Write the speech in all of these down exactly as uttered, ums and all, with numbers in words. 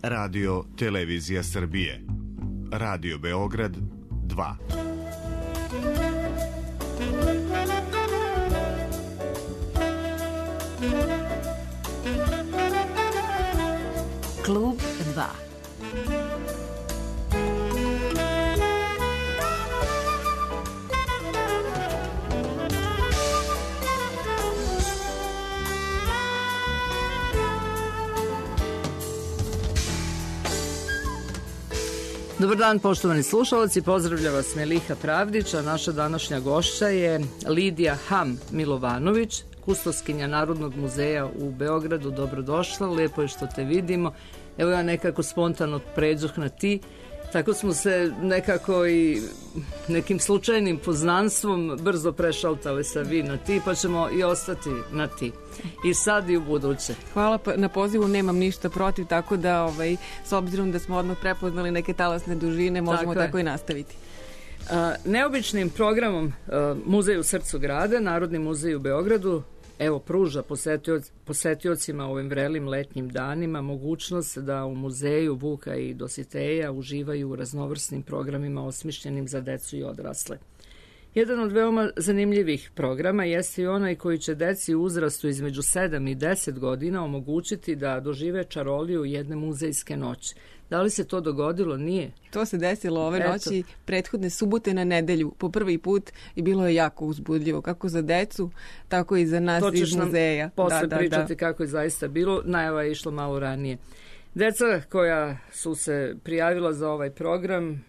Radio Televizija Srbije. Radio Beograd dva. Klub dva. Dobar dan, poštovani slušalci, pozdravlja vas Meliha Pravdić, a naša današnja gošća je Lidija Ham Milovanović, kustoskinja Narodnog muzeja u Beogradu. Dobrodošla, lepo je što te vidimo. Evo ja nekako spontano pređoh na ti, tako smo se nekako i nekim slučajnim poznanstvom brzo prešaltali sa vi na ti, pa ćemo i ostati na ti. I sad i u buduće. Hvala na pozivu, nemam ništa protiv, tako da ovaj, s obzirom da smo odmah prepoznali neke talasne dužine, možemo tako, tako i nastaviti. A, neobičnim programom a, Muzej u srcu grada, Narodni muzej u Beogradu, evo pruža posetioc, posetiocima ovim vrelim letnjim danima mogućnost da u muzeju Vuka i Dositeja uživaju u raznovrsnim programima osmišljenim za decu i odrasle. Jedan od veoma zanimljivih programa jeste i onaj koji će deci u uzrastu između sedam i deset godina omogućiti da dožive čaroliju jedne muzejske noći. Da li se to dogodilo? Nije. To se desilo ove Eto. noći, prethodne subote na nedelju, po prvi put, i bilo je jako uzbudljivo, kako za decu, tako i za nas iz muzeja. To ćeš nam posle da, pričati da, da. kako je zaista bilo. Najava je išla malo ranije. Deca koja su se prijavila za ovaj program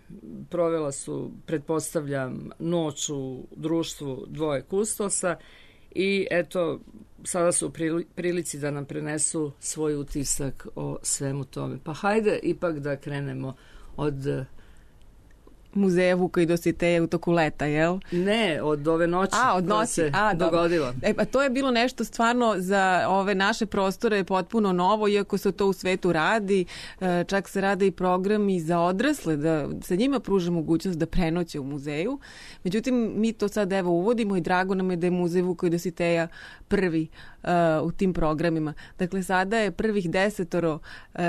provela su, pretpostavljam, noć u društvu dvoje kustosa i eto, sada su u prilici da nam prenesu svoj utisak o svemu tome. Pa hajde ipak da krenemo od Muzeja Vuka i Dositeja u toku leta, jel? Ne, od ove noći A, od noći. se A, dogodilo. E, pa to je bilo nešto stvarno za ove naše prostore potpuno novo, iako se to u svetu radi. E, čak se rade i programi za odrasle, da se njima pruža mogućnost da prenoće u muzeju. Međutim, mi to sad evo uvodimo i drago nam je da je Muzej Vuka i Dositeja prvi uh, u tim programima. Dakle, sada je prvih desetoro uh,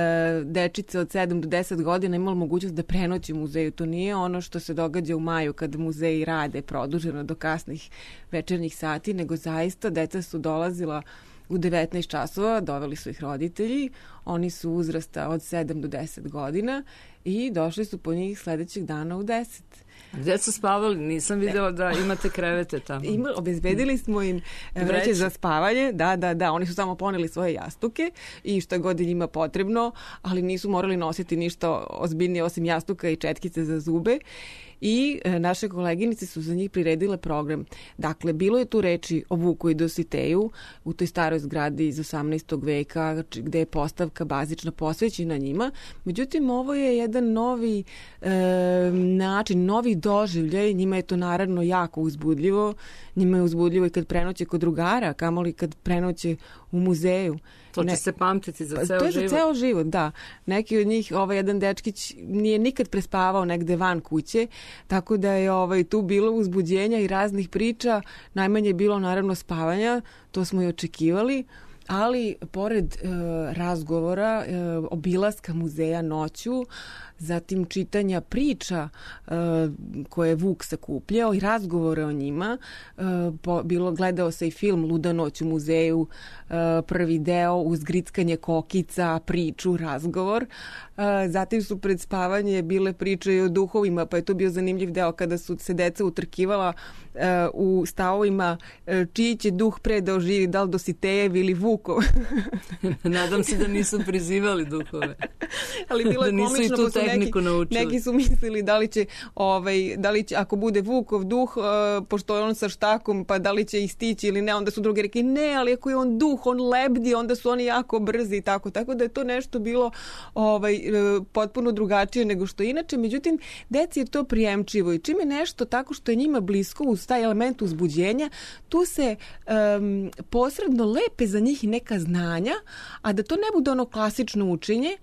dečice od sedam do deset godina imalo mogućnost da prenoći u muzeju. To nije ono što se događa u maju kada muzeji rade produženo do kasnih večernjih sati, nego zaista deca su dolazila u devetnaest časova, doveli su ih roditelji, oni su uzrasta od sedam do deset godina i došli su po njih sledećeg dana u deset. Gde su spavali? Nisam vidjela da imate krevete tamo. Ima, obezbedili smo im vreće za spavanje, da, da, da, oni su samo poneli svoje jastuke i šta god je njima potrebno, ali nisu morali nositi ništa ozbiljnije osim jastuka i četkice za zube. I e, naše koleginice su za njih priredile program. Dakle, bilo je tu reči o Vuku i Dositeju u toj staroj zgradi iz osamnaestog veka, gde je postavka bazična posvećena njima. Međutim, ovo je jedan novi e, način, novi doživljaj. Njima je to naravno jako uzbudljivo. Njima je uzbudljivo i kad prenoće kod drugara, kamoli kad prenoće u muzeju. To će ne, se pamtiti za ceo život. To je za ceo život, da. Neki od njih, ovaj jedan dečkić nije nikad prespavao negde van kuće, tako da je ovaj, tu bilo uzbuđenja i raznih priča. Najmanje je bilo naravno spavanja, to smo i očekivali, ali pored e, razgovora, e, obilaska muzeja noću, zatim čitanja priča e, koje je Vuk sakupljao i razgovore o njima, e, po, bilo gledao se i film Luda noć u muzeju, e, prvi deo uz grickanje kokica, priču, razgovor. E, zatim su pred spavanje bile priče i o duhovima, pa je to bio zanimljiv deo kada su se deca utrkivala e, u stavovima e, čiji će duh pre da oživi, da li Dositejev ili Vukov. Nadam se da nisu prizivali duhove. Ali bilo je da komično, pa su neki, neki su mislili da li će, ovaj, da li će, ako bude Vukov duh, uh, pošto je on sa štakom, pa da li će ih stići ili ne, onda su drugi rekli ne, ali ako je on duh, on lebdi, onda su oni jako brzi i tako, tako da je to nešto bilo ovaj, potpuno drugačije nego što inače. Međutim, deci je to prijemčivo i čim je nešto tako što je njima blisko uz taj element uzbuđenja, tu se um, posredno lepe za njih neka znanja, a da to ne bude ono klasično učenje.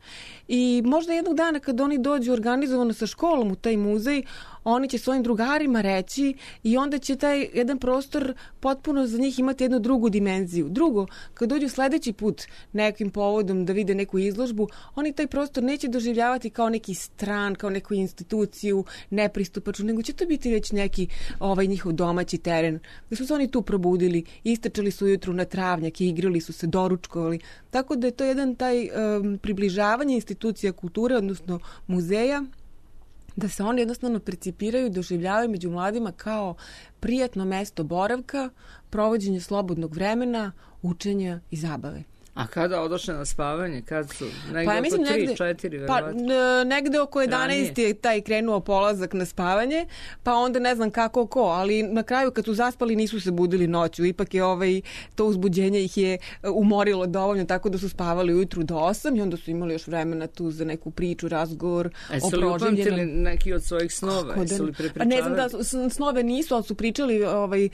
I možda jednog dana kad oni dođu organizovano sa školom u taj muzej, oni će svojim drugarima reći i onda će taj jedan prostor potpuno za njih imati jednu drugu dimenziju. Drugo, kad dođu sledeći put nekim povodom da vide neku izložbu, oni taj prostor neće doživljavati kao neki stran, kao neku instituciju, nepristupačnu, nego će to biti već neki ovaj njihov domaći teren. Da su se oni tu probudili, istrčali su ujutru na travnjak i igrali su se, doručkovali. Tako da je to jedan taj um, približavanje institucija kulture, odnosno muzeja, da se oni jednostavno percipiraju i doživljavaju među mladima kao prijatno mesto boravka, provođenje slobodnog vremena, učenja i zabave. A kada odošle na spavanje? Kad su? Negde pa, ja mislim, oko tri, negde, četiri, verovatno. Pa, negde oko jedanaest je taj krenuo polazak na spavanje, pa onda ne znam kako ko, ali na kraju kad su zaspali nisu se budili noću. Ipak je ovaj, to uzbuđenje ih je umorilo dovoljno, tako da su spavali ujutru do osam i onda su imali još vremena tu za neku priču, razgovor e, o proživljenom. Su li upamtili neki od svojih snova? Da, su li prepričavali? Ne znam da snove nisu, ali su pričali ovaj,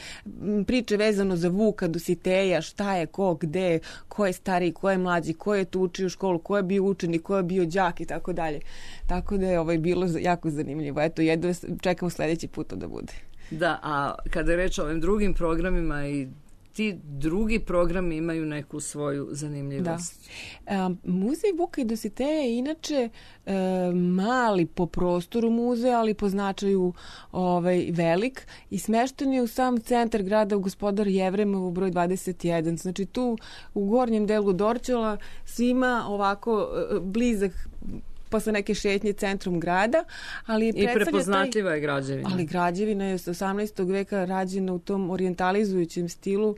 priče vezano za Vuka, Dositeja, šta je, ko, gde, ko je stariji, ko je mlađi, ko je tu učio u školu, ko je bio učenik, ko je bio đak i tako dalje. Tako da je ovaj bilo jako zanimljivo. Eto, jedno čekamo sledeći put da bude. Da, a kada je reč o ovim drugim programima i ti drugi programi imaju neku svoju zanimljivost. Da. E, muzej Vuka i Dositeja je inače e, mali po prostoru muzej, ali po značaju ovaj, velik i smešten je u sam centar grada u Gospodar Jevremovu broj dvadeset jedan. Znači tu u gornjem delu Dorćola svima ovako e, blizak posle neke šetnje centrom grada, ali i prepoznatljiva je građevina. Ali građevina je s osamnaestog veka rađena u tom orijentalizujućem stilu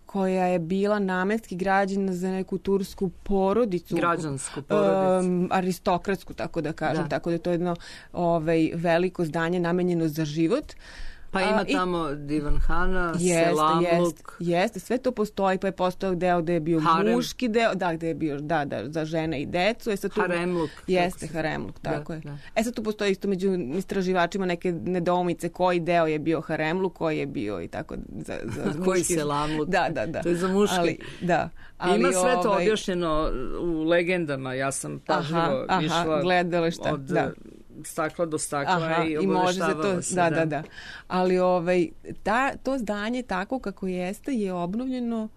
koja je bila namenski građena za neku tursku porodicu. Građansku porodicu. Um, aristokratsku, tako da kažem. Da. Tako da je to jedno ovaj, veliko zdanje namenjeno za život. Pa ima A, tamo Divanhana, jeste, Selamluk. Jeste, jeste, sve to postoji, pa je postojao deo gde je bio Harem. Muški deo, da, gde je bio, da, da, za žene i decu. E sad tu, Haremluk. Jeste, Haremluk, tako da, je. Da. E sad tu postoji isto među istraživačima neke nedoumice koji deo je bio Haremluk, koji je bio i tako za, za muški. Koji Selamluk. Da, da, da. To je za muški. Ali, da. Ali, ima sve to ovaj... objašnjeno u legendama, ja sam pažljivo aha, išla aha, gledala šta, od da. stakla do stakla. Aha, i obaveštavalo se. Da, da, da. Ali ovaj, ta, to zdanje tako kako jeste je obnovljeno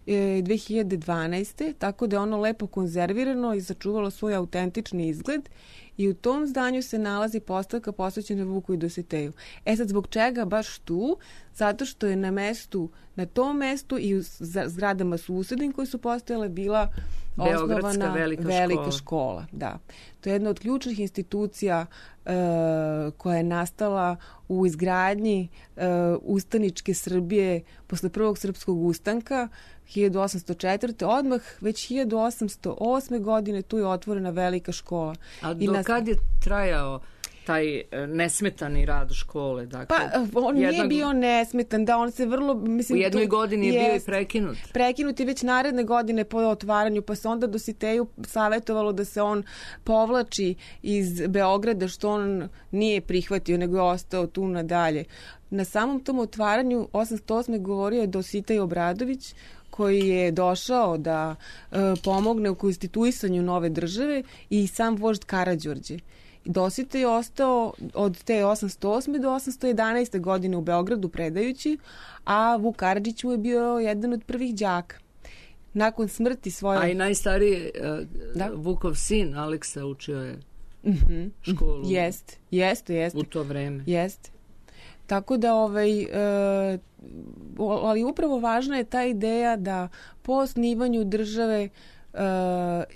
e, dve hiljade dvanaeste. Tako da je ono lepo konzervirano i sačuvalo svoj autentični izgled i u tom zdanju se nalazi postavka posvećena Vuku i Dositeju. E sad, zbog čega baš tu? Zato što je na mestu, na tom mestu i u zgradama susednim koje su postojale bila osnovana velika, velika škola. škola. Da. To je jedna od ključnih institucija e, koja je nastala u izgradnji e, ustaničke Srbije posle prvog srpskog ustanka hiljadu osamsto četvrte. Odmah već hiljadu osamsto osme godine tu je otvorena velika škola. A do nas... kad je trajao taj nesmetani rad škole? Dakle, pa on jedna... nije bio nesmetan, da on se vrlo... Mislim, u jednoj tu, godini je jest, bio i prekinut. Prekinut je već naredne godine po otvaranju, pa se onda Dositeju savjetovalo da se on povlači iz Beograda, što on nije prihvatio, nego je ostao tu nadalje. Na samom tom otvaranju osamsto osme govorio je Dositej Obradović, koji je došao da e, pomogne u konstituisanju nove države i sam vožd Karađorđe. Dositej je ostao od te osamsto osme do osamsto jedanaeste godine u Beogradu predajući, a Vuk Karadžić mu je bio jedan od prvih đaka. Nakon smrti svoje... A i najstariji uh, da? Vukov sin Aleksa učio je mm-hmm. školu. Jeste, jeste, jeste. U to vreme. Jeste. Tako da, ovaj, e, ali upravo važna je ta ideja da po osnivanju države Uh,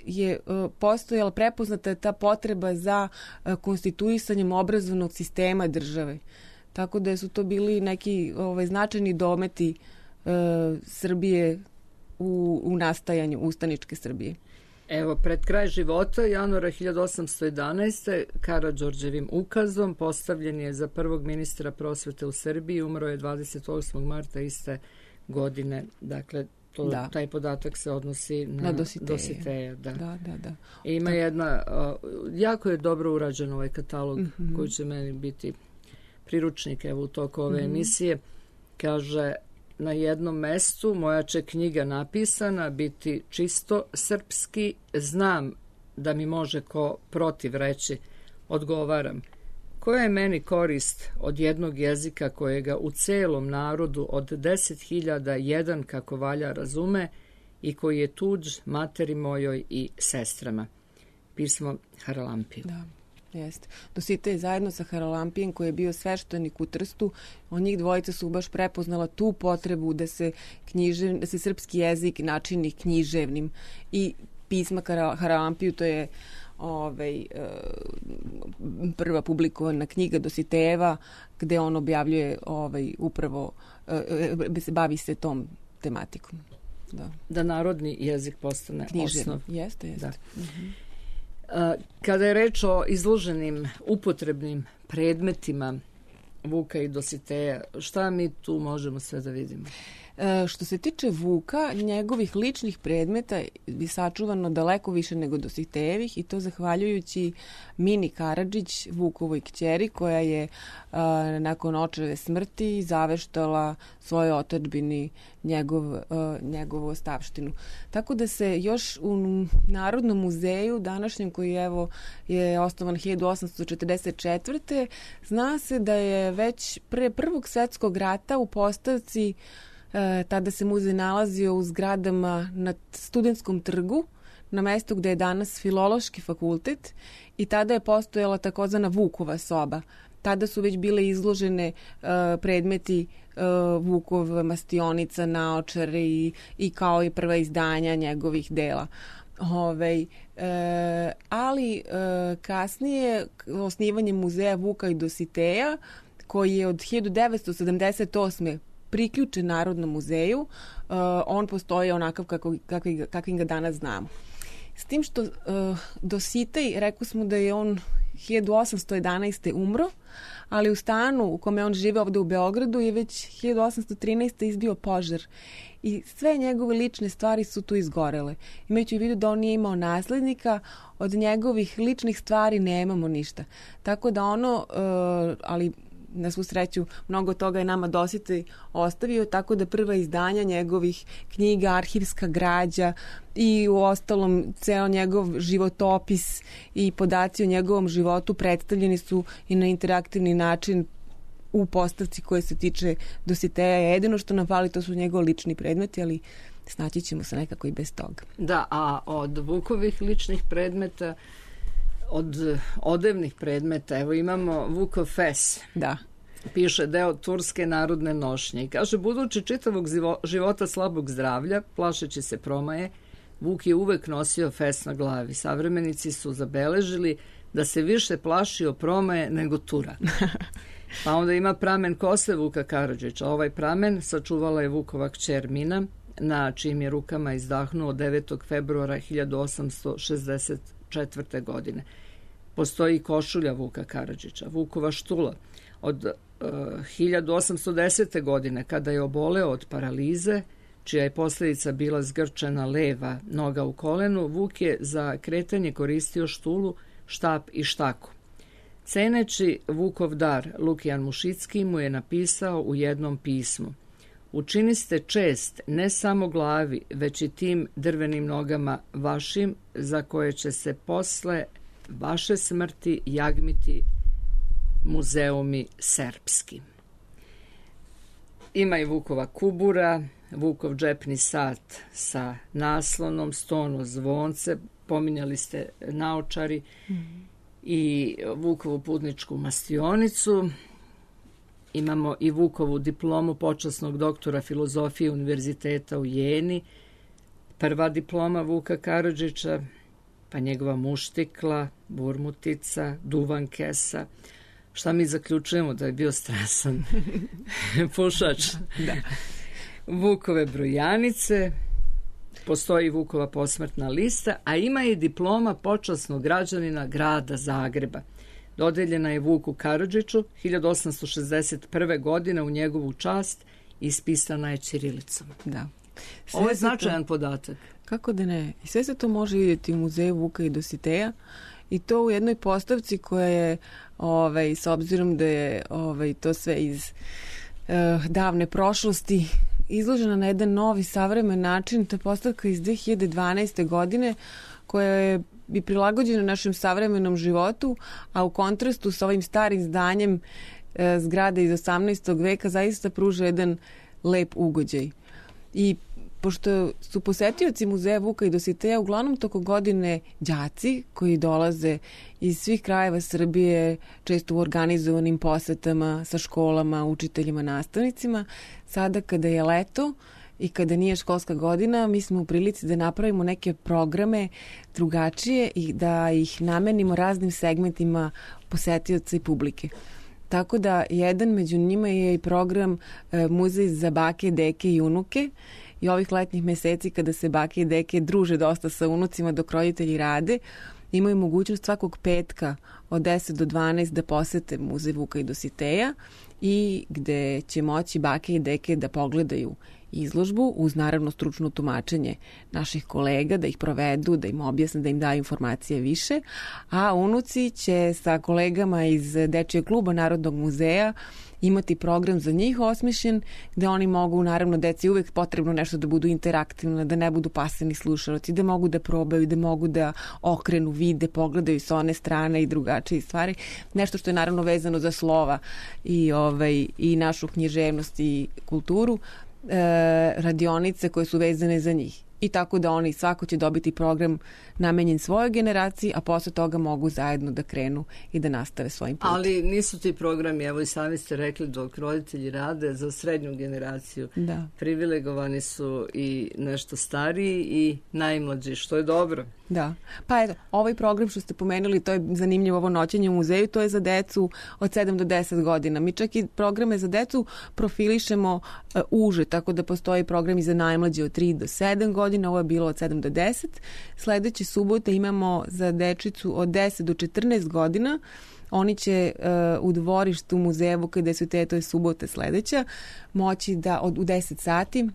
je uh, postojala, prepoznata je ta potreba za uh, konstituisanjem obrazovnog sistema države. Tako da su to bili neki ovaj, značajni dometi uh, Srbije u, u nastajanju ustaničke Srbije. Evo, pred kraj života, januara hiljadu osamsto jedanaeste. Karađorđevim ukazom postavljen je za prvog ministra prosvete u Srbiji, umro je dvadeset osmog marta iste godine. Dakle, To, da. Taj podatak se odnosi na, na Dositeja. Dositeja da. Da, da, da. I ima da. jedna, uh, jako je dobro urađen ovaj katalog mm-hmm. koji će meni biti priručnik evo u toku ove mm-hmm. emisije. Kaže, na jednom mestu moja će knjiga napisana biti čisto srpski, znam da mi može ko protiv reći, odgovaram. koja je meni korist od jednog jezika kojega u celom narodu od deset hiljada jedan kako valja razume i koji je tuđ materi mojoj i sestrama. Pismo Haralampije. Da. Jeste. Dositej zajedno sa Haralampijem koji je bio sveštenik u Trstu, on njih dvojica su baš prepoznala tu potrebu da se, knjiže, da se srpski jezik načini književnim i pisma Haralampiju, to je ovaj, prva publikovana knjiga Dositejeva gde on objavljuje ovaj, upravo, bavi se tom tematikom. Da, da narodni jezik postane književni. Osnov. Jeste, jeste. Da. Mhm. Kada je reč o izloženim upotrebnim predmetima Vuka i Dositeja, šta mi tu možemo sve da vidimo? E, što se tiče Vuka, njegovih ličnih predmeta je sačuvano daleko više nego Dositejevih i to zahvaljujući Mini Karadžić, Vukovoj kćeri, koja je a, nakon očeve smrti zaveštala svojoj otadžbini njegov, a, njegovu ostavštinu. Tako da se još u Narodnom muzeju, današnjem koji evo, je osnovan hiljadu osamsto četrdeset četvrte zna se da je već pre Prvog svetskog rata u postavci E, tada se muzej nalazio u zgradama na Studentskom trgu, na mestu gde je danas Filološki fakultet i tada je postojala takozvana Vukova soba. Tada su već bile izložene e, predmeti e, Vukov mastionica, naočare i, i kao i prva izdanja njegovih dela. Ove, e, ali e, kasnije osnivanje muzeja Vuka i Dositeja, koji je od hiljadu devetsto sedamdeset osme priključen Narodnom muzeju, uh, on postoji onakav kako, kakvi, kakvim ga danas znamo. S tim što uh, Dositej, rekao smo da je on hiljadu osamsto jedanaeste umro, ali u stanu u kome on žive ovde u Beogradu je već hiljadu osamsto trinaeste izbio požar i sve njegove lične stvari su tu izgorele. Imajući u vidu da on nije imao naslednika, od njegovih ličnih stvari nemamo ništa. Tako da ono, uh, ali na svu sreću, mnogo toga je nama Dositej ostavio, tako da prva izdanja njegovih knjiga, arhivska građa i u ostalom ceo njegov životopis i podaci o njegovom životu predstavljeni su i na interaktivni način u postavci koje se tiče Dositeja. Jedino što nam fali to su njegovi lični predmeti, ali snaći ćemo se nekako i bez toga. Da, a od Vukovih ličnih predmeta, od odevnih predmeta, evo imamo Vukov fes. Da. Piše deo turske narodne nošnje i kaže, budući čitavog života slabog zdravlja, plašeći se promaje, Vuk je uvek nosio fes na glavi. Savremenici su zabeležili da se više plašio promaje nego tura. Pa onda ima pramen kose Vuka Karadžića. Ovaj pramen sačuvala je Vukova kćer Mina, na čijim je rukama izdahnuo devetog februara hiljadu osamsto šezdeset četvrte. godine. Postoji košulja Vuka Karadžića, Vukova štula. Od uh, hiljadu osamsto desete. godine, kada je oboleo od paralize, čija je posljedica bila zgrčena leva noga u kolenu, Vuk je za kretanje koristio štulu, štap i štaku. Ceneći Vukov dar, Lukijan Mušicki mu je napisao u jednom pismu: učiniste čest ne samo glavi, već i tim drvenim nogama vašim, za koje će se posle vaše smrti jagmiti muzeumi serbski. Ima i Vukova kubura, Vukov džepni sat sa naslonom, stono zvonce, pominjali ste naočari, mm. i Vukovu putničku mastionicu. Imamo i Vukovu diplomu počasnog doktora filozofije Univerziteta u Jeni, prva diploma Vuka Karadžića, pa njegova muštikla, burmutica, duvan kesa. Šta mi zaključujemo? Da je bio strasan pušač. Da. Vukove brojanice, postoji Vukova posmrtna lista, a ima i diploma počasnog građanina grada Zagreba. Dodeljena je Vuku Karadžiću hiljadu osamsto šezdeset prve. godine u njegovu čast i ispisana je ćirilicom. Da. Sve Ovo je značajan to, podatak. Kako da ne? I sve se to može vidjeti u muzeju Vuka i Dositeja i to u jednoj postavci koja je, ovaj, s obzirom da je ovaj, to sve iz uh, davne prošlosti, izložena na jedan novi savremen način. To je postavka iz dve hiljade dvanaeste. godine koja je i prilagođeno našem savremenom životu, a u kontrastu sa ovim starim zdanjem e, zgrade iz osamnaestog veka zaista pruža jedan lep ugođaj. I pošto su posetioci muzeja Vuka i Dositeja uglavnom toko godine đaci koji dolaze iz svih krajeva Srbije, često u organizovanim posetama sa školama, učiteljima, nastavnicima, sada kada je leto i kada nije školska godina, mi smo u prilici da napravimo neke programe drugačije i da ih namenimo raznim segmentima posetioca i publike. Tako da jedan među njima je i program e, Muzej za bake, deke i unuke. I ovih letnjih meseci kada se bake i deke druže dosta sa unucima dok roditelji rade, imaju mogućnost svakog petka od deset do dvanaest da posete Muzej Vuka i Dositeja i gde će moći bake i deke da pogledaju izložbu uz naravno stručno tumačenje naših kolega, da ih provedu, da im objasne, da im daju informacije više, a unuci će sa kolegama iz Dečijeg kluba Narodnog muzeja imati program za njih osmišljen, gde oni mogu, naravno, deci uvek potrebno nešto da budu interaktivno, da ne budu pasivni slušalci, da mogu da probaju, da mogu da okrenu, vide, pogledaju sa one strane i drugačije stvari. Nešto što je naravno vezano za slova i, ovaj, i našu književnost i kulturu, e, radionice koje su vezane za njih. I tako da oni svako će dobiti program namenjen svojoj generaciji, a posle toga mogu zajedno da krenu i da nastave svojim putem. Ali nisu ti programi, evo i sami ste rekli, dok roditelji rade za srednju generaciju. Da. Privilegovani su i nešto stariji i najmlađi, što je dobro. Da. Pa eto, ovaj program što ste pomenuli, to je zanimljivo, ovo noćenje u muzeju, to je za decu od sedam do deset godina. Mi čak i programe za decu profilišemo uh, uže, tako da postoji program i za najmlađe od tri do sedam godina, ovo je bilo od sedam do deset. Sledeće subote imamo za dečicu od deset do četrnaest godina. Oni će uh, u dvorištu muzeja Vuka i Dositeja, to je subota sledeća, moći da od, u deset sati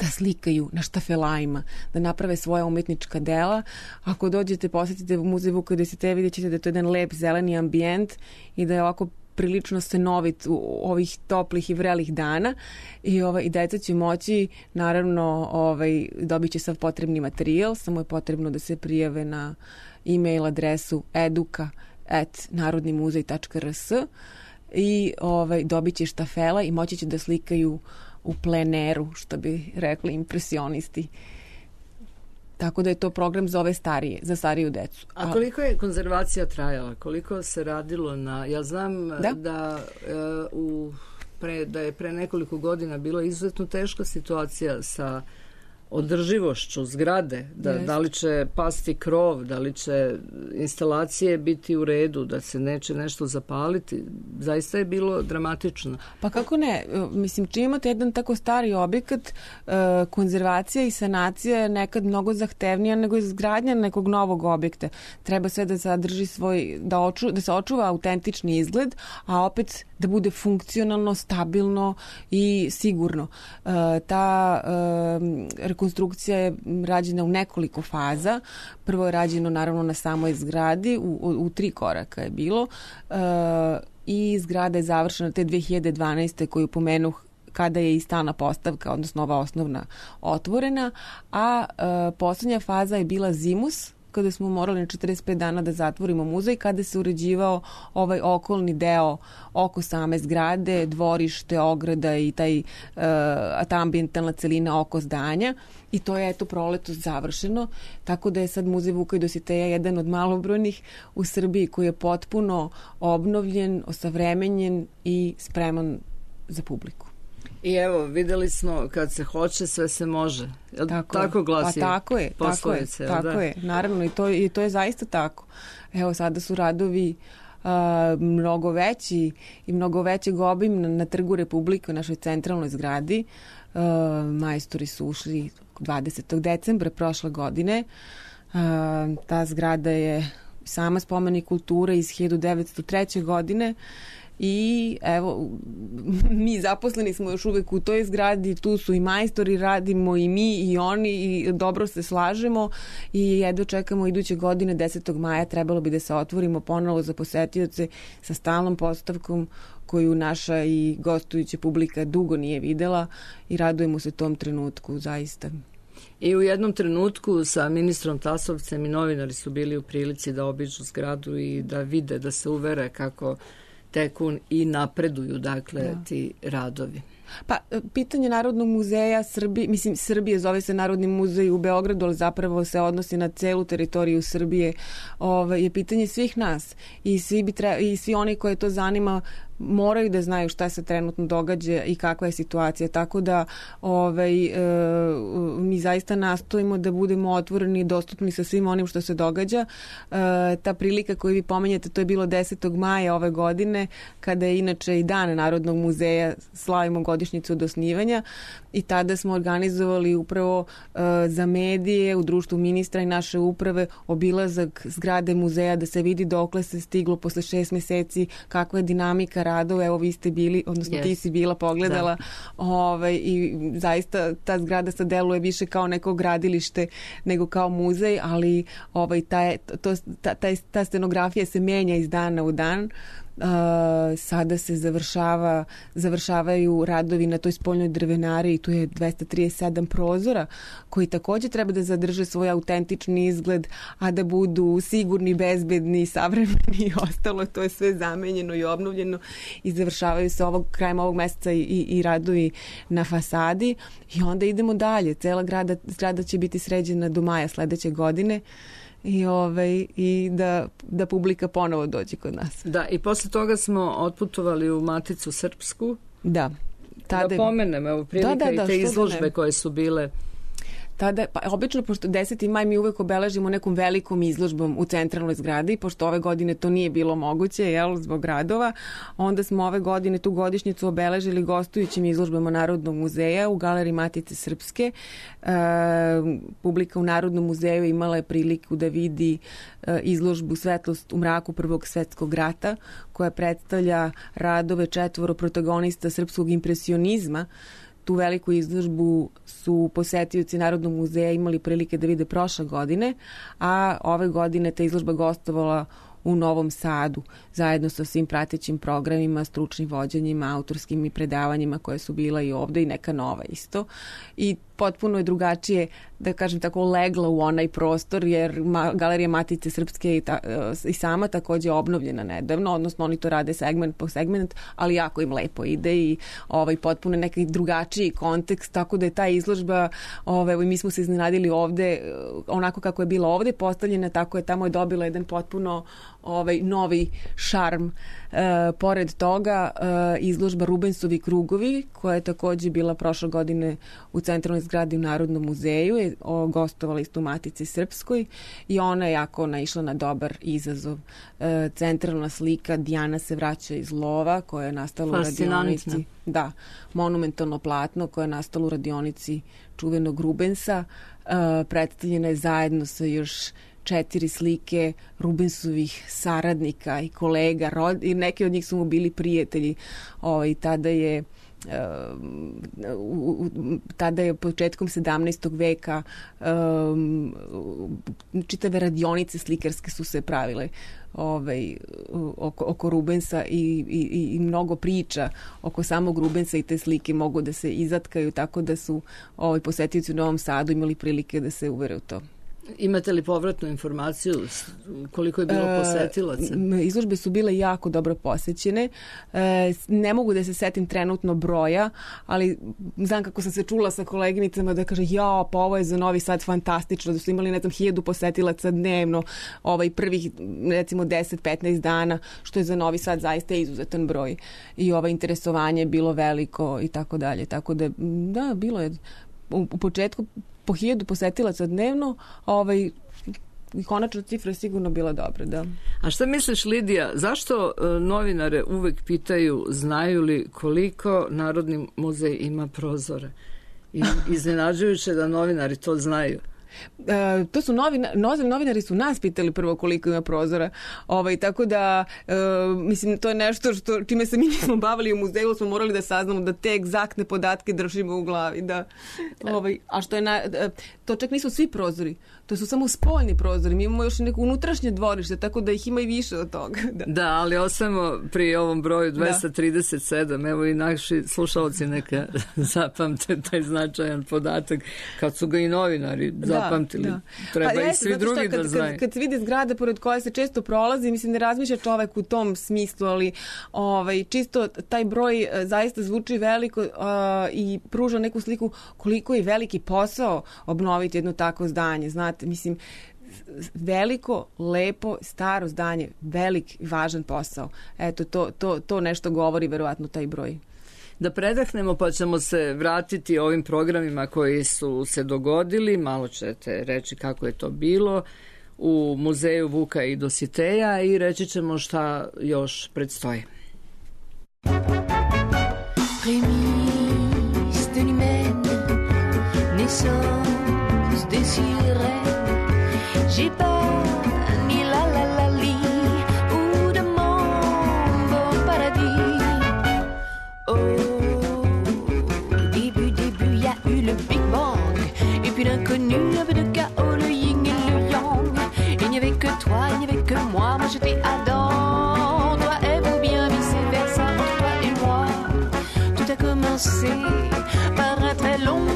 da slikaju na štafelajima, da naprave svoja umetnička dela. Ako dođete, posjetite Muzej Vuka i Dositeja, vidjet ćete da je to jedan lep zeleni ambijent i da je ovako prilično stanovit u ovih toplih i vrelih dana i, ovaj, i deca će moći, naravno, ovaj, dobit će sav potrebni materijal, samo je potrebno da se prijave na e-mail adresu eduka at narodnimuzej tačka r s i ovaj, dobit će štafela i moći će da slikaju u pleneru, što bi rekli impresionisti. Tako da je to program za ove starije, za stariju decu. A koliko je konzervacija trajala? Koliko se radilo na... Ja znam da, da, uh, u, pre, da je pre nekoliko godina bilo izuzetno teška situacija sa održivošću zgrade, da, yes. da li će pasti krov, da li će instalacije biti u redu, da se neće nešto zapaliti. Zaista je bilo dramatično. Pa kako ne? Mislim, čim imate jedan tako stari objekat, konzervacija i sanacija je nekad mnogo zahtevnija nego izgradnja nekog novog objekta. Treba sve da zadrži svoj, da, oču, da se očuva autentični izgled, a opet da bude funkcionalno, stabilno i sigurno. Ta rekonstrukcija je rađena u nekoliko faza. Prvo je rađeno naravno na samoj zgradi, u, u, u tri koraka je bilo e, i zgrada je završena te dve hiljade dvanaeste koju pomenuh kada je i stalna postavka, odnosno ova osnovna otvorena, a e, poslednja faza je bila zimus, kada smo morali na četrdeset pet dana da zatvorimo muzej, kada se uređivao ovaj okolni deo oko same zgrade, dvorište, ograda i taj, uh, ta ambijentalna celina oko zdanja. I to je eto proleto završeno, tako da je sad Muzej Vuka i Dositeja jedan od malobrojnih u Srbiji koji je potpuno obnovljen, osavremenjen i spreman za publiku. I evo, videli smo kad se hoće, sve se može. Tako, tako glasi pa tako je, poslovice. Tako je, tako da? je, naravno i to, i to je zaista tako. Evo, sada su radovi uh, mnogo veći i mnogo većeg obima na, na Trgu Republike, u našoj centralnoj zgradi. Uh, majstori su ušli dvadesetog decembra prošle godine. Uh, ta zgrada je sama spomenik kulture iz hiljadu devetsto treće. godine. I evo, mi zaposleni smo još uvek u toj zgradi, tu su i majstori, radimo i mi i oni i dobro se slažemo i jedno čekamo iduće godine desetog maja trebalo bi da se otvorimo ponovo za posetioce sa stalnom postavkom koju naša i gostujuća publika dugo nije videla i radujemo se tom trenutku zaista. I u jednom trenutku sa ministrom Tasovcem i novinari su bili u prilici da obiđu zgradu i da vide, da se uvere kako teku i napreduju, dakle, da. ti radovi. Pa, pitanje Narodnog muzeja Srbije, mislim, Srbije zove se Narodni muzej u Beogradu, ali zapravo se odnosi na celu teritoriju Srbije, ovaj, je pitanje svih nas i svi, bi tre, i svi oni koje to zanima moraju da znaju šta se trenutno događa i kakva je situacija, tako da ovaj, e, mi zaista nastojimo da budemo otvoreni i dostupni sa svim onim što se događa. E, ta prilika koju vi pomenjate, to je bilo desetog maja ove godine, kada je inače i Dan Narodnog muzeja, slavimo godišnjicu od osnivanja, i tada smo organizovali upravo e, za medije u društvu ministra i naše uprave obilazak zgrade muzeja da se vidi dokle se stiglo posle šest meseci, kakva je dinamika radova. Evo vi ste bili, odnosno yes. ti si bila, pogledala, ovaj, i zaista ta zgrada sad deluje više kao neko gradilište nego kao muzej, ali ovaj, ta, to, ta, ta, ta scenografija se menja iz dana u dan. Uh, sada se završava, završavaju radovi na toj spoljnoj drvenari i tu je dvesta trideset sedam prozora koji takođe treba da zadrže svoj autentični izgled, a da budu sigurni, bezbedni, savremeni i ostalo. To je sve zamenjeno i obnovljeno i završavaju se ovog, krajem ovog meseca i, i, i radovi na fasadi i onda idemo dalje. Cela grada, zgrada će biti sređena do maja sledeće godine. I, ovaj, i da, da publika ponovo dođe kod nas. Da, i posle toga smo otputovali u Maticu Srpsku. Da. Tada... Da pomenem, evo, prilika da, da, da, i te izložbe koje su bile. Tada, pa obično, pošto deseti maj mi uvek obeležimo nekom velikom izložbom u centralnoj zgradi, pošto ove godine to nije bilo moguće, jel, zbog radova, onda smo ove godine tu godišnjicu obeležili gostujućim izložbama Narodnog muzeja u Galeriji Matice Srpske. E, publika u Narodnom muzeju imala je priliku da vidi e, izložbu Svetlost u mraku Prvog svetskog rata, koja predstavlja radove četvoro protagonista srpskog impresionizma. Tu veliku izložbu su posetioci Narodnog muzeja imali prilike da vide prošle godine, a ove godine ta izložba gostovala u Novom Sadu, zajedno sa svim pratećim programima, stručnim vođenjima, autorskim i predavanjima koje su bila i ovde i neka nova isto. I potpuno je drugačije, da kažem tako, legla u onaj prostor, jer ma, Galerija Matice Srpske i, ta, i sama takođe je obnovljena nedavno, odnosno oni to rade segment po segment, ali jako im lepo ide i ovaj, potpuno neki drugačiji kontekst, tako da je ta izložba, ovaj, mi smo se iznenadili ovde, onako kako je bila ovde postavljena, tako je tamo je dobila jedan potpuno ovaj, novi šarm. E, pored toga, e, izložba Rubensovi krugovi, koja je takođe bila prošle godine u centralnoj zgradi u Narodnom muzeju, je gostovala isto u Matici Srpskoj i ona je jako naišla na dobar izazov. E, centralna slika Dijana se vraća iz lova, koja je nastala u radionici. Da, monumentalno platno koje je nastalo u radionici čuvenog Rubensa. E, predstavljena je zajedno sa još četiri slike Rubensovih saradnika i kolega, rod, i neki od njih su mu bili prijatelji. Ovaj, tada je Uh, tada je početkom sedamnaestog veka um, čitave radionice slikarske su se pravile ovaj, oko, oko Rubensa i, i, i mnogo priča oko samog Rubensa i te slike mogu da se izatkaju, tako da su ovaj, posetioci u Novom Sadu imali prilike da se uvere u to. Imate li povratnu informaciju koliko je bilo posetilaca? E, izložbe su bile jako dobro posećene. E, ne mogu da se setim trenutno broja, ali znam kako sam se čula sa koleginicama da kaže ja, pa ovo je za Novi Sad fantastično, da su imali, ne znam, hiljadu posetilaca dnevno, ovaj prvih, recimo, deset do petnaest dana, što je za Novi Sad zaista izuzetan broj. I ovo interesovanje je bilo veliko i tako dalje. Tako da, da, bilo je u, u početku po hiljadu posetilaca dnevno, ovaj, konačna cifra je sigurno bila dobra, da. A šta misliš, Lidija, zašto uh, novinare uvek pitaju znaju li koliko Narodni muzej ima prozora? I iznenađujuće da novinari to znaju. E, to su novina, novinari su nas pitali prvo koliko ima prozora, ovaj, tako da e, mislim to je nešto što čime se mi nismo bavili u muzeju, smo morali da saznamo da te egzaktne podatke držimo u glavi, da, ovaj, a što je na, to čak nisu svi prozori, To su samo spoljni prozori, mi imamo još neko unutrašnje dvorište, tako da ih ima i više od toga. Da, da ali ostajemo pri ovom broju dvesta trideset sedam, da. Evo i naši slušalci neka zapamte taj značajan podatak, kad su ga i novinari zapamtili, da, da. Treba pa i jeste, svi drugi kad, da znaju. Kad, kad se vidi zgrada pored koje se često prolazi, mislim, ne razmišlja čovek u tom smislu, ali ovaj, čisto taj broj zaista zvuči veliko uh, i pruža neku sliku koliko je veliki posao obnoviti jedno takvo zdanje. Znate, mislim, veliko, lepo, staro zdanje, velik, važan posao. Eto, to, to, to nešto govori verovatno taj broj. Da predahnemo, pa ćemo se vratiti ovim programima koji su se dogodili. Malo ćete reći kako je to bilo u muzeju Vuka i Dositeja i reći ćemo šta još predstoji. Prémices de l'humaine, naissance des sirènes, j'ai pas ni la la la li ou de mon beau paradis. Au début, début, y a eu le Big Bang, et puis l'inconnu, un peu de chaos, le yin et le yang. Il n'y avait que toi, il n'y avait que moi, moi j'étais Adam, toi et vous bien vice-versa, entre toi et moi. Tout a commencé par un très long,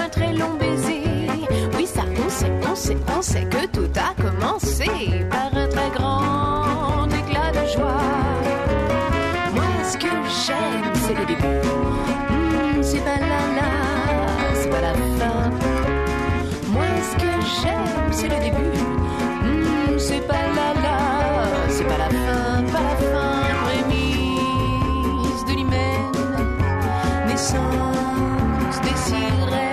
un très long baiser. Oui, ça, on sait, on sait, on sait que tout a commencé par un très grand éclat de joie. Moi, ce que j'aime, c'est le début. Mmh, c'est pas la la, c'est pas la fin. Moi, ce que j'aime, c'est le début. Mmh, c'est pas la la, c'est pas la fin, pas la fin. Prémisse de l'hymen, naissance des sirènes.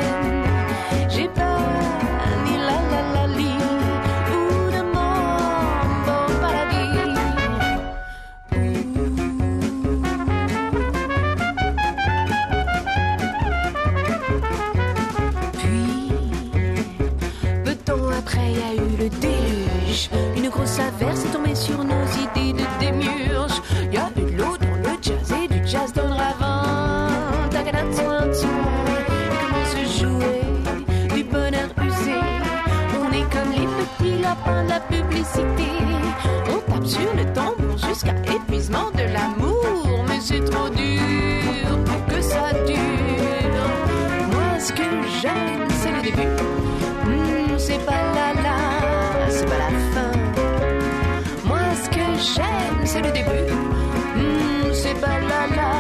J'ai pas ni la la la li ou de mon beau paradis. Puis, peu de temps après, y a eu le déluge. Une grosse averse est tombée sur nos idées de démiurge. Y a eu de l'eau dans le jazz et du jazz dans le ravin. Comment se jouer du bonheur usé? On est comme les petits lapins de la publicité. On tape sur le tambour jusqu'à épuisement de l'amour. Mais c'est trop dur pour que ça dure. Moi, ce que j'aime, c'est le début. Mmh, c'est pas la la, c'est pas la fin. Moi, ce que j'aime, c'est le début. Mmh, c'est pas la la,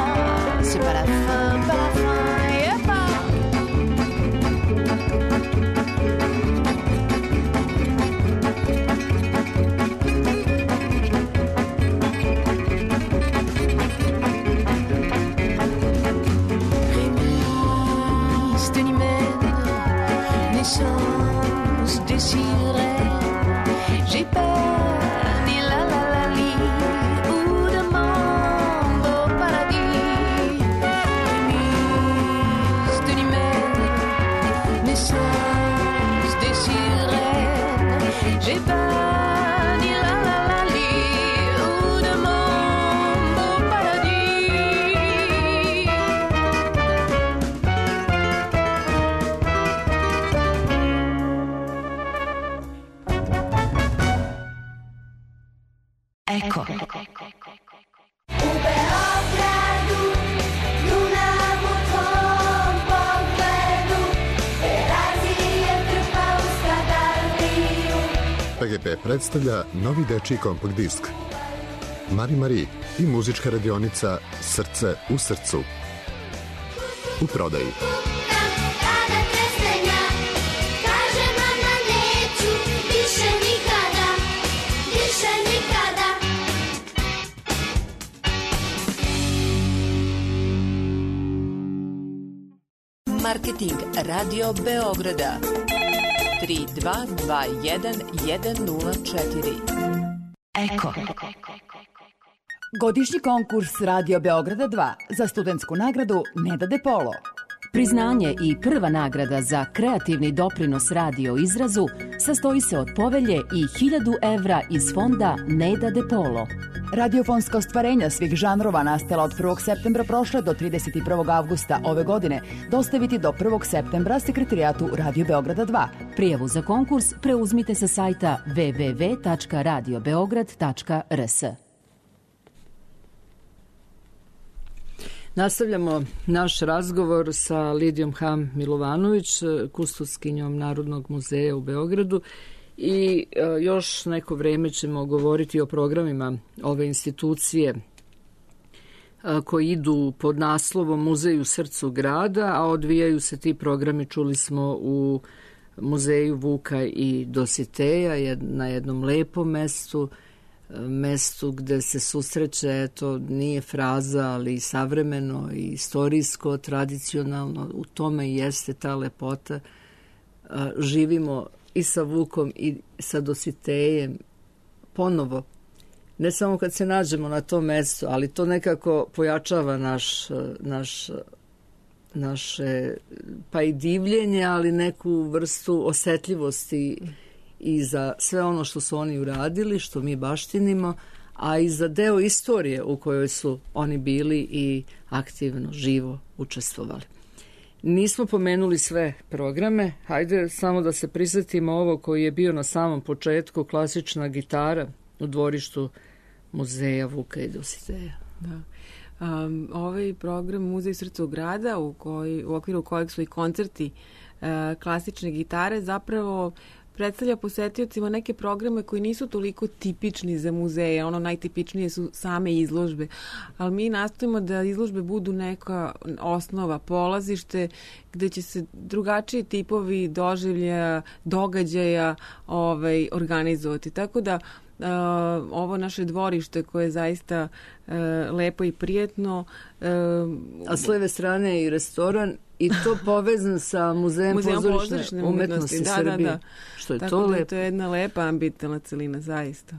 c'est pas la fin, pas la fin. Des sirènes, j'ai peur ni la la la li ou de mon beau paradis. Prémisse de l'hymen, naissance des sirènes, j'ai peur ni la la la li ou de mon beau paradis. Ecco. U Beogradu, Dunavu tvom pogledu, Terazije trpa u Skadardiju. P G P predstavlja novi dečiji kompakt disk Mari Mari i muzička radionica Srce u srcu. U prodaji. Marketing Radio Beograda tri dva dva jedan jedan nula četiri. Eko. Godišnji konkurs Radio Beograda dva za studentsku nagradu Neda De Polo. Priznanje i prva nagrada za kreativni doprinos radio izrazu sastoji se od povelje i hiljadu evra iz fonda Neda De Polo. Radiofonska ostvarenja svih žanrova nastala od prvog septembra prošle do trideset prvog avgusta ove godine dostaviti do prvog septembra sekretarijatu Radio Beograda dva. Prijavu za konkurs preuzmite sa sajta w w w tačka radio beograd tačka r s. Nastavljamo naš razgovor sa Lidijom Ham Milovanović, kustoskinjom Narodnog muzeja u Beogradu, i još neko vreme ćemo govoriti o programima ove institucije koji idu pod naslovom Muzej u srcu grada, a odvijaju se ti programi, čuli smo, u muzeju Vuka i Dositeja, na jednom lepom mestu, mestu gde se susreće, to nije fraza, ali savremeno i istorijsko, tradicionalno, u tome i jeste ta lepota. Živimo i sa Vukom i sa Dositejem ponovo, ne samo kad se nađemo na tom mestu, ali to nekako pojačava naš, naš, naše, pa i divljenje, ali neku vrstu osetljivosti i za sve ono što su oni uradili, što mi baštinimo, a i za deo istorije u kojoj su oni bili i aktivno, živo učestvovali. Nismo pomenuli sve programe, hajde samo da se prisjetimo ovo koji je bio na samom početku, klasična gitara u dvorištu muzeja Vuka i Dositeja. Da. Um, ovaj program Muzej srca grada, u, koji, u okviru kojeg su i koncerti uh, klasične gitare, zapravo predstavlja posetiocima neke programe koji nisu toliko tipični za muzeje, ono najtipičnije su same izložbe, ali mi nastojimo da izložbe budu neka osnova, polazište gde će se drugačiji tipovi doživljaja, događaja ovaj, organizovati. Tako da Uh, ovo naše dvorište koje je zaista uh, lepo i prijetno. Uh, A s leve strane je i restoran i to povezan sa Muzejem, Muzejem pozorišne, pozorišne umetnosti, umetnosti da, Srbije. Da, da. Što je Tako to da lepo. Je to je jedna lepa ambientalna celina, zaista.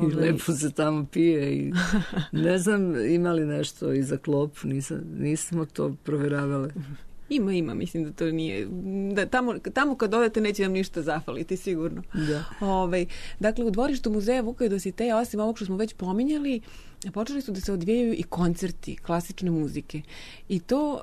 I lepo se tamo pije i ne znam ima li nešto i za klopu, nisam, nismo to proveravali. Ima, ima, mislim da to nije, da tamo, tamo kad odete neće vam ništa zafaliti, sigurno. Da. Ove, dakle, u dvorištu muzeja Vuka i Dositeja, osim ovog što smo već pominjali, počeli su da se odvijaju i koncerti klasične muzike. I to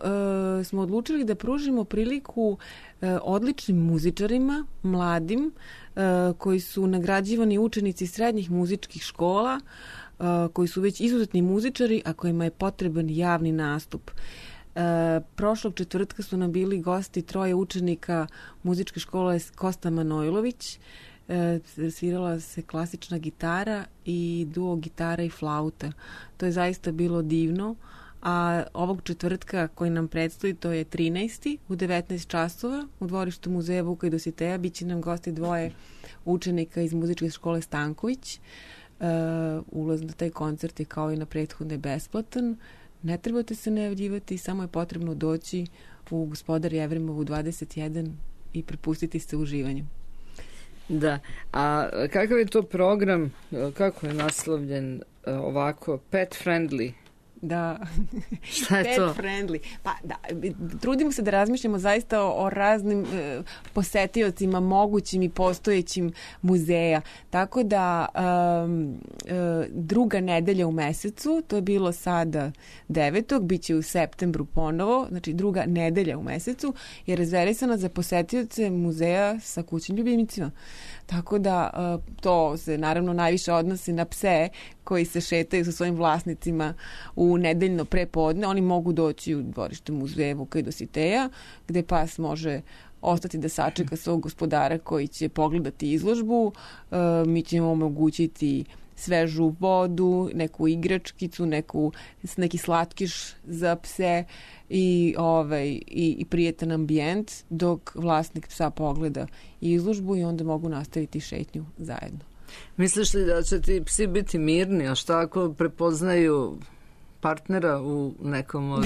e, smo odlučili da pružimo priliku e, odličnim muzičarima, mladim, e, koji su nagrađivani učenici srednjih muzičkih škola, e, koji su već izuzetni muzičari, a kojima je potreban javni nastup. E, prošlog četvrtka su nam bili gosti troje učenika muzičke škole Kosta Manojlović. E, svirala se klasična gitara i duo gitara i flauta. To je zaista bilo divno. A ovog četvrtka koji nam predstoji, to je trinaesti u devetnaest časova u dvorištu muzeja Vuka i Dositeja, bit će nam gosti dvoje učenika iz muzičke škole Stanković. E, ulaz na taj koncert je kao i na prethodne besplatan. Ne trebate se najavljivati, samo je potrebno doći u Gospodar Jevrimovu dvadeset jedan i prepustiti se uživanju. Da, a kakav je to program, kako je naslovljen ovako, pet friendly? Da, šta je pet to? friendly. Pa da, trudimo se da razmišljamo zaista o, o raznim e, posetiocima, mogućim i postojećim muzeja. Tako da um, e, druga nedelja u mesecu, to je bilo sada devetog, bit će u septembru ponovo, znači druga nedelja u mesecu je rezervisana za posetioce muzeja sa kućnim ljubimicima. Tako da e, to se naravno najviše odnosi na pse koji se šetaju sa svojim vlasnicima u nedeljno prepodne. Oni mogu doći u dvorište muzeja Vuka i Dositeja, gde pas može ostati da sačeka svog gospodara koji će pogledati izložbu. E, mi ćemo omogućiti svežu vodu, neku igračkicu, neku, neki slatkiš za pse i, ovaj, i, i prijetan ambijent dok vlasnik psa pogleda izložbu i onda mogu nastaviti šetnju zajedno. Misliš li da će ti psi biti mirni, a šta ako prepoznaju partnera u nekom od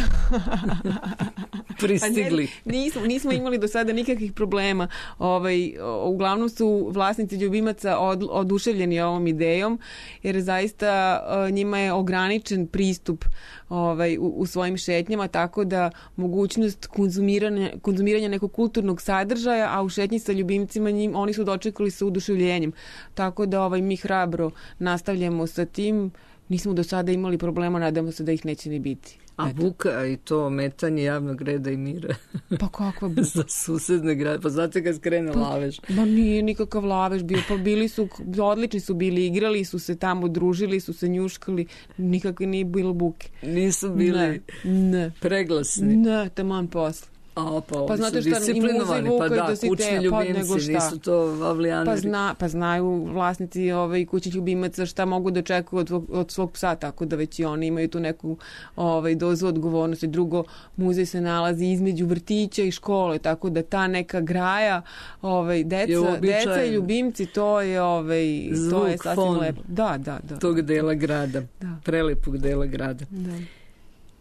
pristigli? Pa ne, nismo, nismo imali do sada nikakvih problema. Ovaj, uglavnom su vlasnici ljubimaca od, oduševljeni ovom idejom, jer zaista njima je ograničen pristup ovaj, u, u svojim šetnjama, tako da mogućnost konzumiranja, konzumiranja nekog kulturnog sadržaja, a u šetnji sa ljubimcima njim, oni su dočekali sa uduševljenjem. Tako da ovaj, mi hrabro nastavljamo sa tim. Nismo do sada imali problema, nadamo se da ih neće ni biti. A eto. Buka i to ometanje javnog reda i mira. Pa kakva buka? Za susedne grade. Pa znate kad skrene pa, lavež? Ma nije nikakav lavež bio. Pa bili su, odlični su bili, igrali su se tamo, družili su se, njuškali. Nikakve nije bilo buke. Nisu bili ne, ne. preglasni? Ne, taman posle. A, pa, pa znate šta, disciplinovani, pa da, kućni ljubimci, nisu to avlijaneri. Pa, zna, pa znaju vlasnici ovaj, kućnih ljubimaca šta mogu da očekuju od, od svog psa, tako da već i oni imaju tu neku ovaj, dozu odgovornosti. Drugo, muzej se nalazi između vrtića i škole, tako da ta neka graja, ovaj, deca, deca i ljubimci, to je, ovaj, zvuk, to je sasvim fon lepo. Da, da, da. Tog dela grada, da. Prelepog dela grada. Da.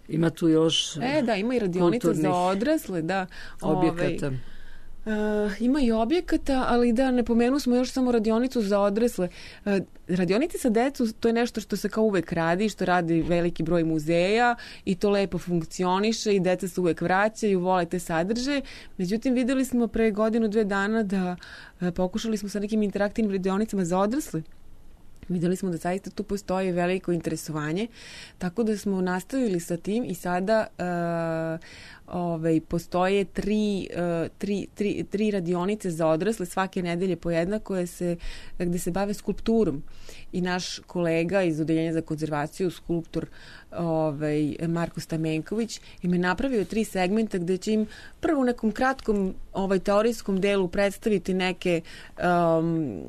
Ima tu još E, da, ima i radionica za odrasle, da. Objekata. Ovaj, uh, ima i objekata, ali da, ne pomenu smo još samo radionicu za odrasle. Uh, radionice sa decu, to je nešto što se kao uvek radi, što radi veliki broj muzeja i to lepo funkcioniše i deca se uvek vraćaju, vole te sadržaje. Međutim, videli smo pre godinu, dve dana da uh, pokušali smo sa nekim interaktivnim radionicama za odrasle. Videli smo da zaista tu postoji veliko interesovanje, tako da smo nastavili sa tim i sada uh, ovaj, postoje tri, uh, tri, tri, tri radionice za odrasle svake nedelje po jedna koje se, gde se bave skulpturom. I naš kolega iz Odeljenja za konzervaciju, skulptor ovaj, Marko Stamenković, im je napravio tri segmenta gde će im prvo u nekom kratkom ovaj, teorijskom delu predstaviti neke, um,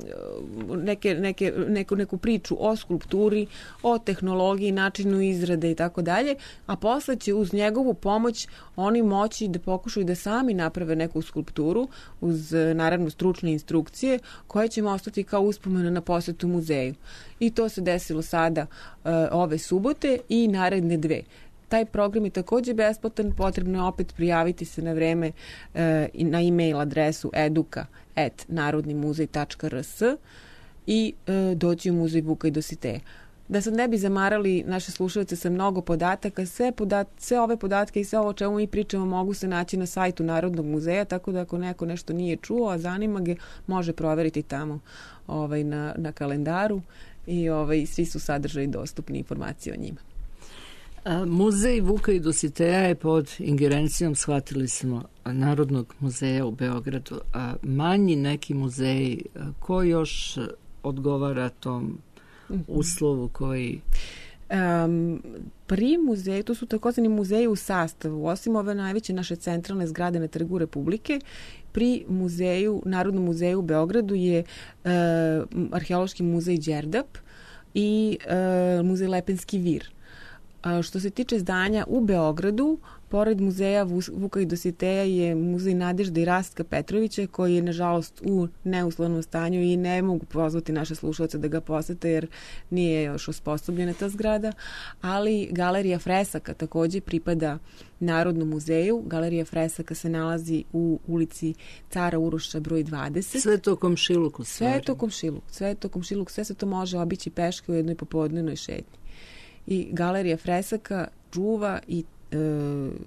neke, neke, neku, neku priču o skulpturi, o tehnologiji, načinu izrade i tako dalje, a posle će uz njegovu pomoć oni moći da pokušaju da sami naprave neku skulpturu uz naravno stručne instrukcije koje će im ostati kao uspomena na posetu muzeju. I to se desilo sada uh, ove subote i naredne dve. Taj program je takođe besplatan, potrebno je opet prijaviti se na vreme uh, na e-mail adresu eduka at narodnimuzej tačka r s i uh, doći u muzej Vuka i Dositeja. Da sad ne bi zamarali naše slušalce sa mnogo podataka, sve, podat, sve ove podatke i sve ovo o čemu mi pričamo mogu se naći na sajtu Narodnog muzeja, tako da ako neko nešto nije čuo, a zanima ga, može proveriti tamo ovaj, na, na kalendaru i ovaj, svi su sadržaji dostupni, informacije o njima. A, muzej Vuka i Dositeja je pod ingerencijom, shvatili smo, Narodnog muzeja u Beogradu. A manji neki muzeji, ko još odgovara tom uslovu koji... Um, pri muzeju, to su takozvani muzeji u sastavu, osim ove najveće naše centralne zgrade na Trgu Republike, pri muzeju, Narodnom muzeju u Beogradu je uh, Arheološki muzej Đerdap i uh, muzej Lepenski vir. Uh, što se tiče zdanja u Beogradu, pored muzeja Vuka i Dositeja je muzej Nadežde i Rastka Petrovića, koji je nažalost u neuslovnom stanju i ne mogu pozvati naše slušalce da ga posete jer nije još osposobljena ta zgrada, ali Galerija fresaka takođe pripada Narodnom muzeju. Galerija fresaka se nalazi u ulici Cara Uroša broj dvadeset. Sve to komšiluku. Sve je to komšiluk. Sve je to komšiluk. Sve se to može obići peške u jednoj popodnevnoj šetnji. I Galerija fresaka čuva i e,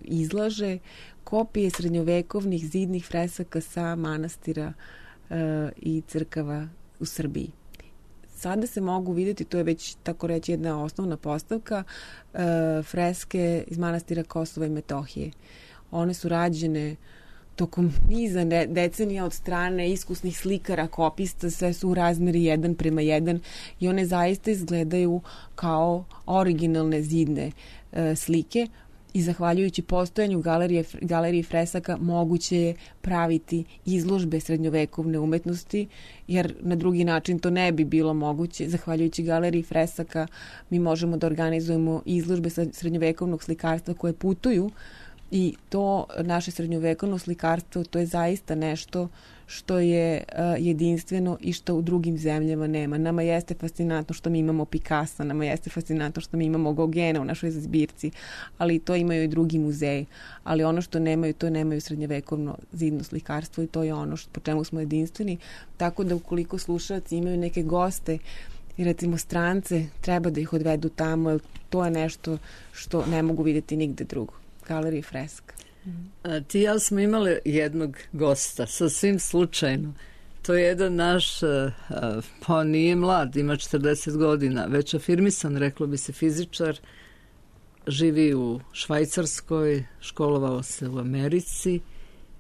izlaže kopije srednjovekovnih zidnih fresaka sa manastira e, i crkava u Srbiji. Sada se mogu vidjeti, to je već tako reći jedna osnovna postavka, e, freske iz manastira Kosova i Metohije. One su rađene tokom niza decenija od strane iskusnih slikara, kopista, sve su u razmeri jedan prema jedan i one zaista izgledaju kao originalne zidne e, slike i zahvaljujući postojanju galerije, galerije fresaka moguće je praviti izložbe srednjovekovne umetnosti, jer na drugi način to ne bi bilo moguće. Zahvaljujući galeriji fresaka mi možemo da organizujemo izložbe srednjovekovnog slikarstva koje putuju. I to naše srednjovekovno slikarstvo, to je zaista nešto što je uh, jedinstveno i što u drugim zemljama nema. Nama jeste fascinantno što mi imamo Picasso, nama jeste fascinantno što mi imamo Gogena u našoj zbirci, ali to imaju i drugi muzeji. Ali ono što nemaju, to nemaju srednjevekovno zidno slikarstvo i to je ono što, po čemu smo jedinstveni. Tako da ukoliko slušalci imaju neke goste i recimo strance, treba da ih odvedu tamo, jer to je nešto što ne mogu vidjeti nigde drugo. Galerija freska. A, ti i ja smo imali jednog gosta, sasvim slučajno. To je jedan naš, a, pa nije mlad, ima četrdeset godina, već afirmisan, reklo bi se, fizičar, živi u Švajcarskoj, školovao se u Americi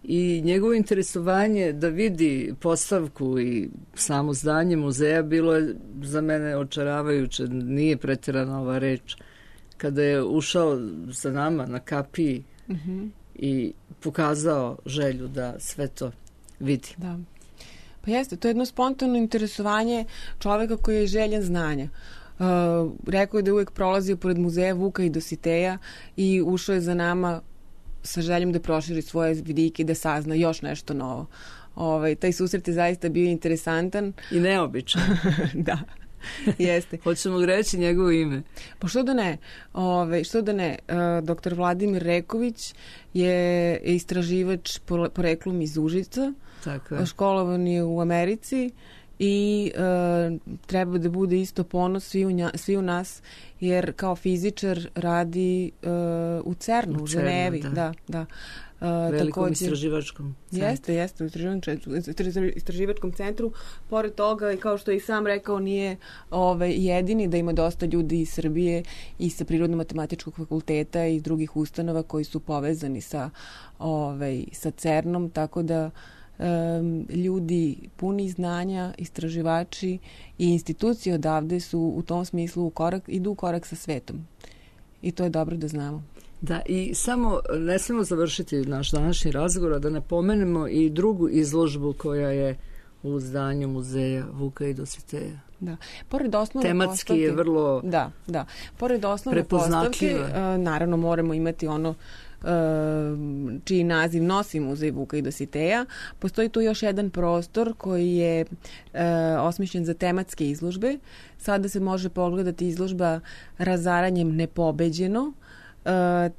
i njegovo interesovanje da vidi postavku i samo zdanje muzeja bilo je za mene očaravajuće, nije pretjerana ova reč. Kada je ušao za nama na kapiji mm-hmm. i pokazao želju da sve to vidi. Da. Pa jeste, to je jedno spontano interesovanje čoveka koji je željan znanja. Uh, rekao je da je uvijek prolazio pored muzeja Vuka i Dositeja i ušao je za nama sa željom da proširi svoje vidike i da sazna još nešto novo. Ovaj, taj susret je zaista bio interesantan. I neobičan. Da. Jeste. Hoćemo reći njegovo ime. Pa što da ne? Ove, što da ne? Uh, doktor Vladimir Reković je istraživač poreklom iz Užica. Tako je. Školovan je u Americi i uh, treba da bude isto ponos svi u, nja, svi u nas, jer kao fizičar radi uh, u CERNu, u, u Ženevi. Da, da. da. Uh, Velikom također, istraživačkom centru. Jeste, jeste, u istraživačkom centru. Pored toga, kao što je i sam rekao, nije ovaj, jedini, da ima dosta ljudi iz Srbije i sa Prirodno-matematičkog fakulteta i drugih ustanova koji su povezani sa, ovaj, sa CERNom, tako da um, ljudi puni znanja, istraživači i institucije odavde su u tom smislu u korak, idu u korak sa svetom. I to je dobro da znamo. Da, i samo ne smemo završiti naš današnji razgovor, da ne pomenemo i drugu izložbu koja je u zdanju muzeja Vuka i Dositeja. Da. Pored osnovne tematski postavke, je vrlo da, da. Pored osnovne postavke, uh, naravno moramo imati ono uh, čiji naziv nosi muzej Vuka i Dositeja. Postoji tu još jedan prostor koji je uh, osmišljen za tematske izložbe. Sada se može pogledati izložba Razaranjem nepobeđeno. Uh,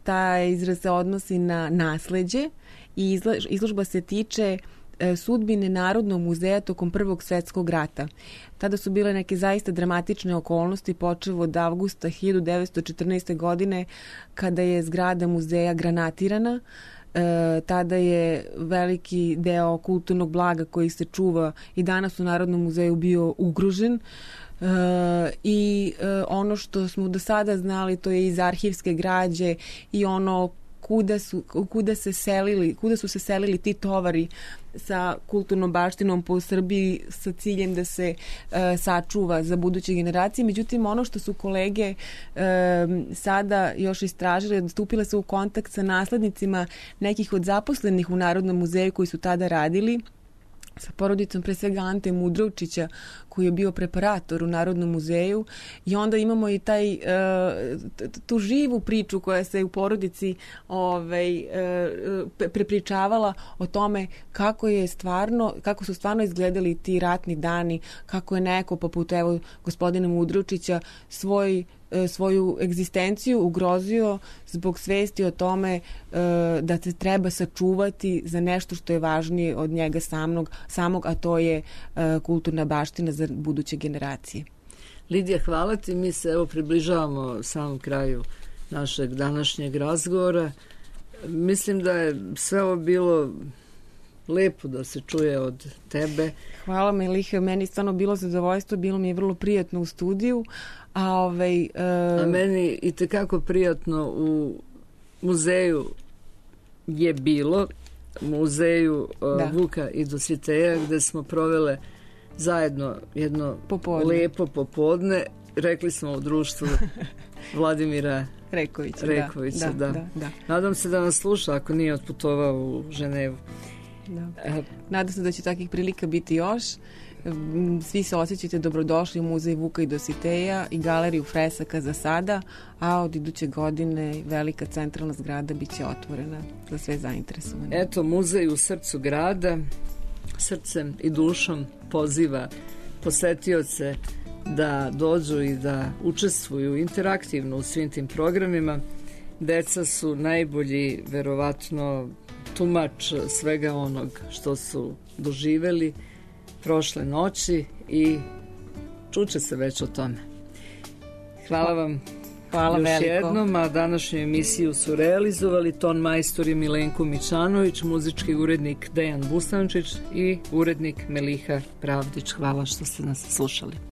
taj izraz se odnosi na nasleđe i izložba se tiče uh, sudbine Narodnog muzeja tokom Prvog svjetskog rata. Tada su bile neke zaista dramatične okolnosti, počev od avgusta hiljadu devetsto četrnaeste. godine, kada je zgrada muzeja granatirana. Uh, tada je veliki deo kulturnog blaga koji se čuva i danas u Narodnom muzeju bio ugrožen. Uh, i uh, ono što smo do sada znali, to je iz arhivske građe i ono kuda su, kuda se selili, kuda su se selili ti tovari sa kulturnom baštinom po Srbiji sa ciljem da se uh, sačuva za buduće generacije. Međutim, ono što su kolege uh, sada još istražile, stupile su u kontakt sa naslednicima nekih od zaposlenih u Narodnom muzeju koji su tada radili, sa porodicom pre svega Ante Mudrovčića koji je bio preparator u Narodnom muzeju i onda imamo i taj tu živu priču koja se u porodici ovaj prepričavala o tome kako je stvarno kako su stvarno izgledali ti ratni dani, kako je neko poput evo gospodina Mudrovčića svoj svoju egzistenciju ugrozio zbog svesti o tome uh, da se treba sačuvati za nešto što je važnije od njega samog, samog a to je uh, kulturna baština za buduće generacije. Lidija, hvala ti. Mi se evo približavamo samom kraju našeg današnjeg razgovora. Mislim da je sve ovo bilo lepo da se čuje od tebe. Hvala Miliha, meni stvarno bilo zadovoljstvo, bilo mi je vrlo prijatno u studiju. A, ovaj, uh... a meni i tekako prijatno u muzeju je bilo, muzeju uh, Vuka i Dositeja, gde smo provele zajedno jedno popodne. lepo popodne. Rekli smo u društvu Vladimira Rekovića. Rekovića da, da. Da, da. Nadam se da nas sluša ako nije otputovao u Ženevu. Da. Nadam se da će takvih prilika biti još. Svi se osjećate dobrodošli u muzej Vuka i Dositeja i galeriju fresaka za sada, a od iduće godine velika centralna zgrada bit će otvorena za sve zainteresovane. Eto, muzej u srcu grada, srcem i dušom poziva posetioce da dođu i da učestvuju interaktivno u svim tim programima. Deca su najbolji, verovatno, tumač svega onog što su doživeli prošle noći i čuće se već o tome. Hvala vam. Hvala još veliko. jednom, a današnju emisiju su realizovali ton majstor je Milenko Mićanović, muzički urednik Dejan Bustančić i urednik Meliha Pravdić. Hvala što ste nas slušali.